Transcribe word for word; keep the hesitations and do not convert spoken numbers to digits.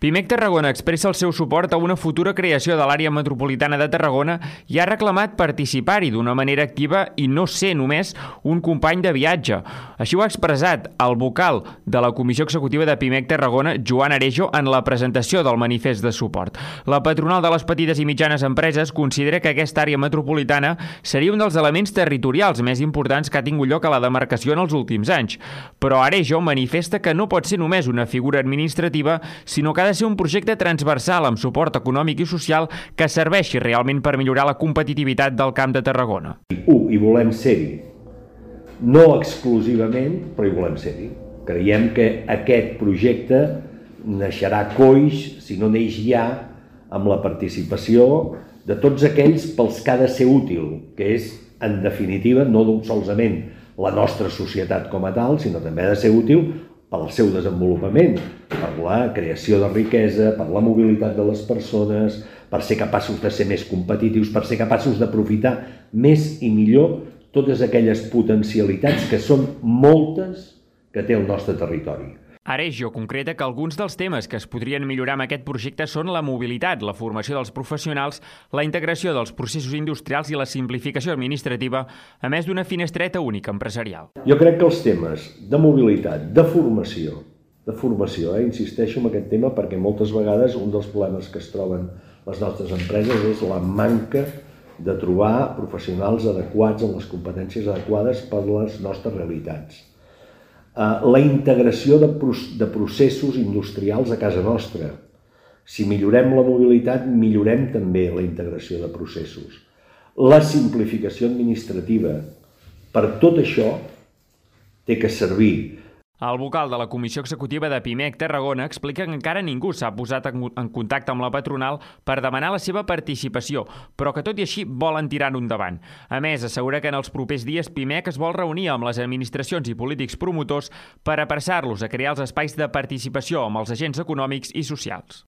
Pimec Tarragona expressa el seu suport a una futura creació de l'àrea metropolitana de Tarragona i ha reclamat participar-hi d'una manera activa i no ser només un company de viatge. Així ho ha expressat el vocal de la Comissió Executiva de Pimec Tarragona, Joan Arejo, en la presentació del manifest de suport. La patronal de les petites i mitjanes empreses considera que aquesta àrea metropolitana seria un dels elements territorials més importants que ha tingut lloc a la demarcació en els últims anys. Però Arejo manifesta que no pot ser només una figura administrativa, sinó que ha de ser un projecte transversal amb suport econòmic i social que serveixi realment per millorar la competitivitat del Camp de Tarragona. U, hi volem ser-hi. No exclusivament, però hi volem ser-hi. Creiem que aquest projecte naixerà coix, si no neix ja, amb la participació de tots aquells pels que ha de ser útil, que és, en definitiva, no solament la nostra societat com a tal, sinó també ha de ser útil pel seu desenvolupament, per la creació de riquesa, per la mobilitat de les persones, per ser capaços de ser més competitius, per ser capaços d'aprofitar més i millor totes aquelles potencialitats que són moltes que té el nostre territori. Arejo concreta que alguns dels temes que es podrien millorar amb aquest projecte són la mobilitat, la formació dels professionals, la integració dels processos industrials i la simplificació administrativa, a més d'una finestreta única empresarial. Jo crec que els temes de mobilitat, de formació, de formació, eh, insisteixo en aquest tema perquè moltes vegades un dels problemes que es troben les nostres empreses és la manca de trobar professionals adequats amb les competències adequades per les nostres realitats. La integració de processos industrials a casa nostra. Si millorem la mobilitat, millorem també la integració de processos. La simplificació administrativa. Per tot això té que servir. El vocal de la Comissió Executiva de Pimec Tarragona explica que encara ningú s'ha posat en contacte amb la patronal per demanar la seva participació, però que tot i així volen tirar-ho endavant. A més, assegura que en els propers dies Pimec es vol reunir amb les administracions i polítics promotors per apressar-los a crear els espais de participació amb els agents econòmics i socials.